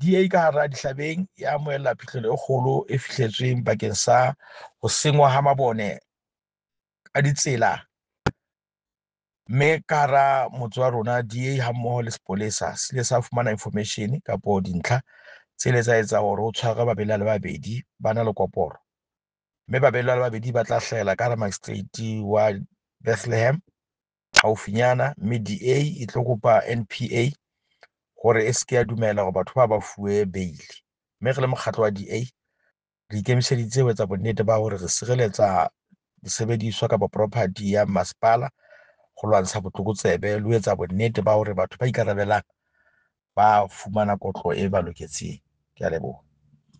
DA ka hara Dihlabeng e amohela phihlelo e kgolo e fihletsweng bakeng sa ho sengwa ha mabone a ditsela, mme ka hara motse wa rona DA ha mmoho le sepolesa se ile sa fumana information kapo dintlha tse ile tsa etsa hore ho tshwarwe babelaellwa ba babedi ba na le koporo, mme babelaellwa ba babedi ba tla hlahela ka hara magistrate wa Bethlehem haufinyana, mme DA e tlo kopa NPA hore e seke ya dumela hore batho ba ba fuwe bail. Mme re le mokgatlo wa DA re ikemiseditse ho etsa bonnete ba hore re sireletsa disebediswa kapa property ya masepala ho lwantsha botlokotsebe le ho etsa bonnete ba hore batho ba ikarabelang ba fumana kotlo e ba loketseng. Ke a leboha.